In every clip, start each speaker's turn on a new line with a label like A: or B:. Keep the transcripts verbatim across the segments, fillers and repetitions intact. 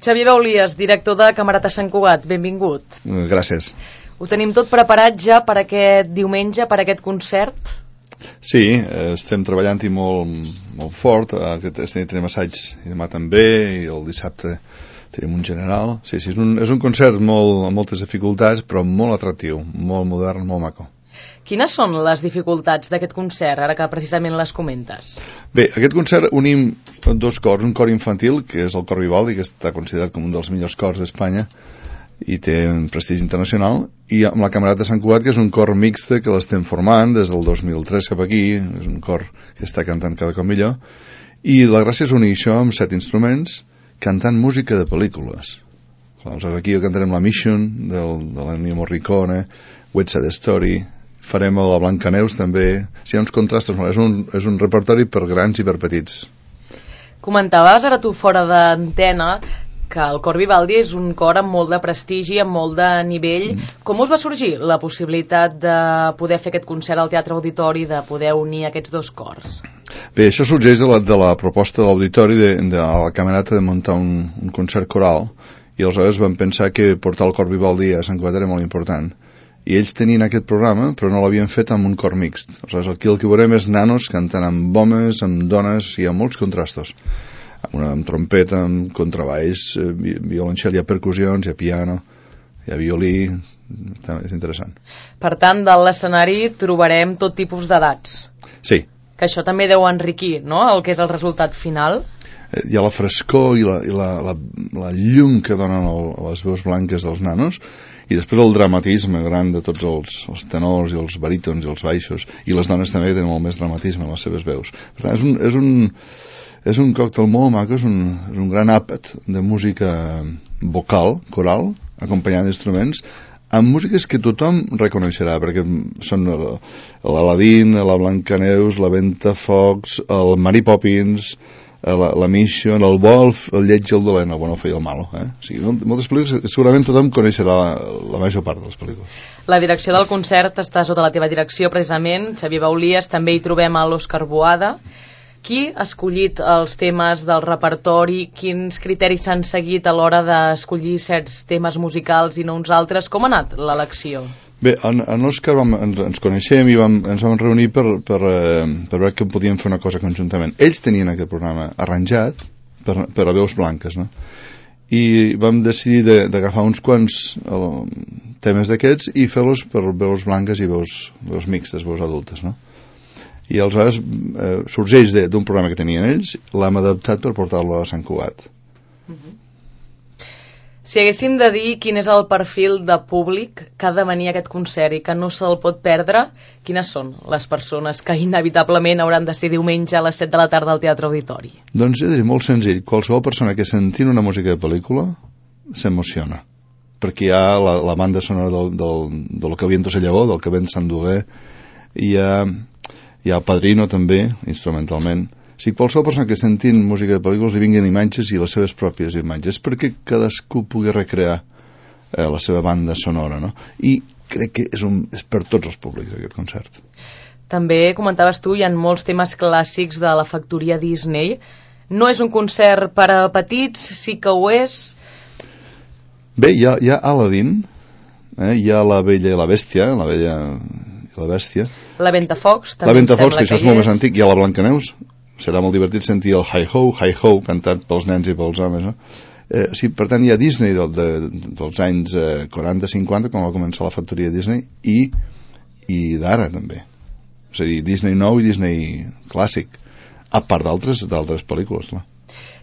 A: Xavier Baulies, director de Camerata Sant Cugat, benvingut.
B: Gràcies.
A: Ho tenim tot preparat ja per aquest diumenge, per aquest concert?
B: Sí, estem treballant-hi molt, molt fort. Aquest nit tenim assaig i demà també, i el dissabte tenim un general. Sí, sí, és un, és un concert molt, amb moltes dificultats, però molt atractiu, molt modern, molt maco.
A: Quines són les dificultats d'aquest concert, ara que precisament les comentes?
B: Bé, aquest concert unim dos cors, un cor infantil, que és el cor Vivaldi, que està considerat com un dels millors cors d'Espanya i té un prestigi internacional, i amb la Camerata Sant Cugat, que és un cor mixte que l'estem formant des del dos mil tres cap aquí, és un cor que està cantant cada cop millor, i la gràcia és unir això amb set instruments cantant música de pel·lícules. Aleshores, aquí cantarem la Mission del, de l'Ennio Morricone, West Side Story, farem a la Blancaneus també. Si hi ha uns contrastos, és un, és un repertori per grans i per petits.
A: Comentaves ara tu fora d'antena que el cor Vivaldi és un cor amb molt de prestigi, amb molt de nivell. Mm. Com us va sorgir la possibilitat de poder fer aquest concert al Teatre Auditori, de poder unir aquests dos cors?
B: Bé, això sorgeix de la, de la proposta de l'Auditori de, de la Camerata de muntar un, un concert coral, i aleshores vam pensar que portar el cor Vivaldi a Sant Cugat era molt important. I ells tenien aquest programa, però no l'havien fet amb un cor mixt. Aleshores, aquí el que veurem és nanos cantant amb homes, amb dones, hi ha molts contrastos. Amb, una, amb trompeta, amb contrabaix, violoncel, hi ha percussions, hi ha piano, hi ha violí, és interessant.
A: Per tant, de l'escenari trobarem tot tipus d'edats.
B: Sí.
A: Que això també deu enriquir, no?, el que és el resultat final.
B: Hi ha la frescor i la, i la, la, la llum que donen el, les veus blanques dels nanos, i després el dramatisme gran de tots els, els tenors i els barítons i els baixos, i les dones també tenen molt més dramatisme en les seves veus. Per tant, és un, és un, és un còctel molt maco, és un, és un gran àpat de música vocal, coral, acompanyada d'instruments, amb músiques que tothom reconeixerà, perquè són l'Aladín, la Blancaneus, la Ventafocs, el Mary Poppins, la, la Mission, el Wolf, el lleig i el dolent, el bueno, i el malo, eh? O sigui, moltes pel·lícules, segurament tothom coneixerà la, la major part de les pel·lícules.
A: La direcció del concert està sota la teva direcció, precisament, Xavier Baulies. També hi trobem a l'Òscar Boada. Qui ha escollit els temes del repertori? Quins criteris s'han seguit a l'hora d'escollir certs temes musicals i no uns altres? Com ha anat l'elecció?
B: Bé, en, en l'Òscar ens, ens coneixem i vam, ens vam reunir per, per, eh, per veure que podíem fer una cosa conjuntament. Ells tenien aquest programa arranjat per, per a veus blanques, no? I vam decidir d'agafar uns quants eh, temes d'aquests i fer-los per veus blanques i veus, veus mixtes, veus adultes, no? I aleshores eh, sorgeix d'un programa que tenien ells, l'hem adaptat per portar-lo a Sant Cugat.
A: Uh-huh. Si haguéssim de dir quin és el perfil de públic que ha de venir a aquest concert i que no se'l pot perdre, quines són les persones que inevitablement hauran de ser diumenge a les set de la tarda al Teatre Auditori?
B: Doncs jo diria molt senzill, qualsevol persona que sentint una música de pel·lícula s'emociona, perquè hi ha la, la banda sonora del, del, del que viento se llevó, del que vent s'endugué, hi ha, hi ha el Padrino també, instrumentalment. O sigui, qualsevol persona que sentint música de pel·lícules li vinguin imatges i les seves pròpies imatges, perquè cadascú pugui recrear eh, la seva banda sonora, no? I crec que és, un, és per tots els públics aquest concert.
A: També comentaves tu, hi ha molts temes clàssics de la factoria Disney. No és un concert per a petits, sí que ho és?
B: Bé, hi ha, hi ha Aladdin, eh? Hi ha la Bella i la Bèstia, la Bella i la Bèstia.
A: La Ventafocs, també.
B: La Ventafocs, que això és molt més antic. Hi ha la Blancaneus. Serà molt divertit sentir el Hi-Ho, Hi-Ho, cantat pels nens i pels homes, no? Eh, sí, per tant, hi ha Disney de, de, dels anys eh, quaranta cinquanta, quan va començar la factoria Disney, i, i d'ara, també. És a dir, Disney nou i Disney clàssic, a part d'altres d'altres pel·lícules, clar.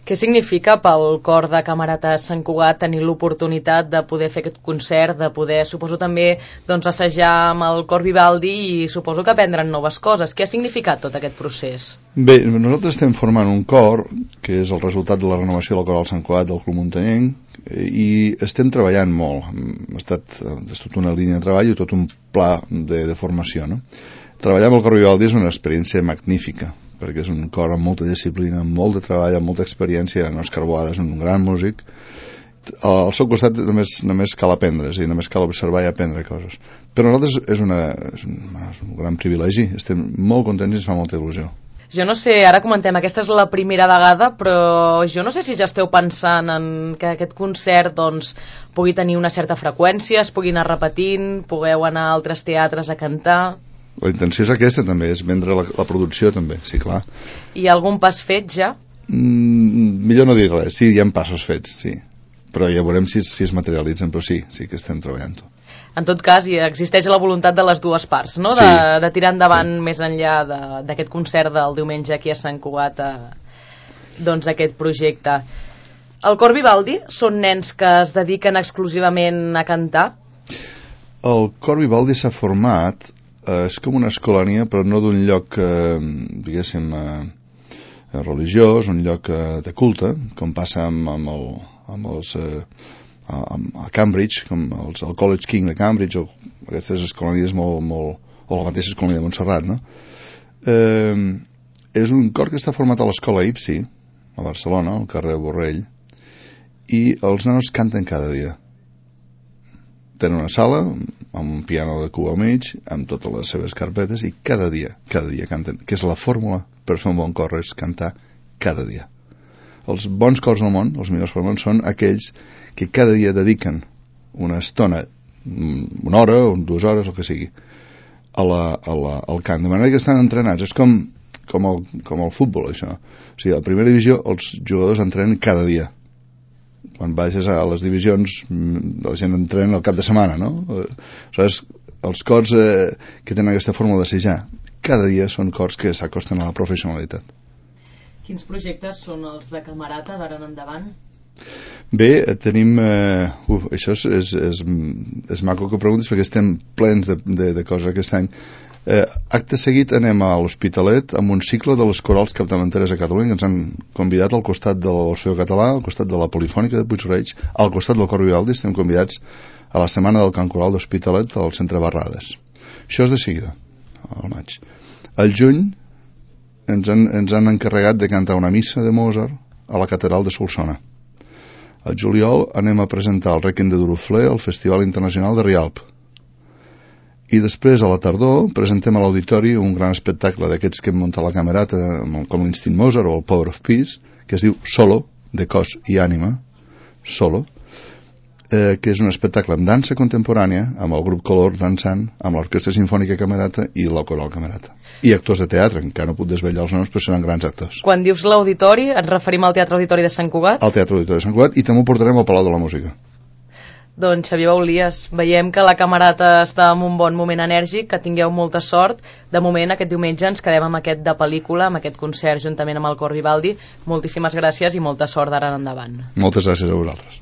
A: Què significa pel cor de Camerata Sant Cugat tenir l'oportunitat de poder fer aquest concert, de poder, suposo també, doncs, assajar amb el cor Vivaldi i suposo que aprendre'n noves coses? Què ha significat tot aquest procés?
B: Bé, nosaltres estem formant un cor, que és el resultat de la renovació del Coral Sant Cugat del Club Muntanyenc, i estem treballant molt. Ha estat és tot una línia de treball i tot un pla de, de formació, no? Treballar amb el cor Vivaldi és una experiència magnífica, perquè és un cor amb molta disciplina, amb molt de treball, amb molta experiència. Òscar Boada és un gran músic. Al seu costat només, només cal aprendre, és a dir, només cal observar i aprendre coses. Per nosaltres és, una, és, un, és un gran privilegi, estem molt contents i ens fa molta il·lusió.
A: Jo no sé, ara comentem, aquesta és la primera vegada, però jo no sé si ja esteu pensant en que aquest concert doncs, pugui tenir una certa freqüència, es pugui anar repetint, pugueu anar a altres teatres a cantar...
B: La intenció és aquesta també, és vendre la, la producció també, sí, clar.
A: Hi ha algun pas fet ja?
B: Mm, millor no dir res, sí, hi ha passos fets, sí. Però ja veurem si, si es materialitzen, però sí, sí que estem treballant-ho.
A: En tot cas, hi existeix la voluntat de les dues parts, no? De,
B: sí.
A: de tirar endavant
B: sí.
A: més enllà d'aquest concert del diumenge aquí a Sant Cugat, a, doncs aquest projecte. El Cor Vivaldi són nens que es dediquen exclusivament a cantar?
B: El Cor Vivaldi s'ha format, eh, és com una escolania, però no d'un lloc, eh, diguéssim, eh, religiós, un lloc eh, de culte, com passa amb, amb, el, amb els... Eh, a Cambridge, com els, el College King de Cambridge, o aquestes escolanies molt, molt, o la mateixa escolania de Montserrat, no? Eh, és un cor que està format a l'escola I P S I, a Barcelona, al carrer Borrell, i els nanos canten cada dia. Tenen una sala, amb un piano de cua al mig, amb totes les seves carpetes, i cada dia, cada dia canten, que és la fórmula per fer un bon cor, és cantar cada dia. Els bons cors del món, els millors cors del món, són aquells que cada dia dediquen una estona, una hora o dues hores, el que sigui, a la, a la, al cant, de manera que estan entrenats. És com, com, el, com el futbol, això. O sigui, a la primera divisió els jugadors entrenen cada dia. Quan vagis a les divisions, la gent entrena el cap de setmana, no? Aleshores, els cors eh, que tenen aquesta fórmula de ser ja, cada dia són cors que s'acosten a la professionalitat.
A: Quins projectes són els de Camerata d'ara en endavant?
B: Bé, tenim... Eh, uf, això és, és, és, és maco que preguntes perquè estem plens de, de, de coses aquest any. Eh, acte seguit anem a l'Hospitalet amb un cicle de les corals capdavanteres a Catalunya que ens han convidat al costat de l'Orfeó Català, al costat de la Polifònica de Puig-reig, al costat del Cor Vivaldi. Estem convidats a la setmana del cant coral d'Hospitalet al centre Barrades. Això és de seguida, al maig. Al juny ens han, ens han encarregat de cantar una missa de Mozart a la catedral de Solsona. Al juliol anem a presentar el Rèquiem de Duruflé al Festival Internacional de Rialp. I després, a la tardor, presentem a l'auditori un gran espectacle d'aquests que hem muntat la Camerata, com l'Instint Mozart o el Power of Peace, que es diu Solo, de cos i ànima, Solo, eh, que és un espectacle amb dansa contemporània, amb el grup Color dansant, amb l'Orquestra Simfònica Camerata i la Coral Camerata. I actors de teatre, encara no puc desvetllar els noms, però seran grans actors.
A: Quan dius l'auditori, et referim al Teatre Auditori de Sant Cugat?
B: Al Teatre Auditori de Sant Cugat, i també ho portarem al Palau de la Música.
A: Doncs Xavier Baulies, veiem que la Camerata està en un bon moment enèrgic, que tingueu molta sort. De moment, aquest diumenge ens quedem amb aquest de pel·lícula, amb aquest concert juntament amb el Cor Vivaldi. Moltíssimes gràcies i molta sort d'ara en endavant.
B: Moltes gràcies a vosaltres.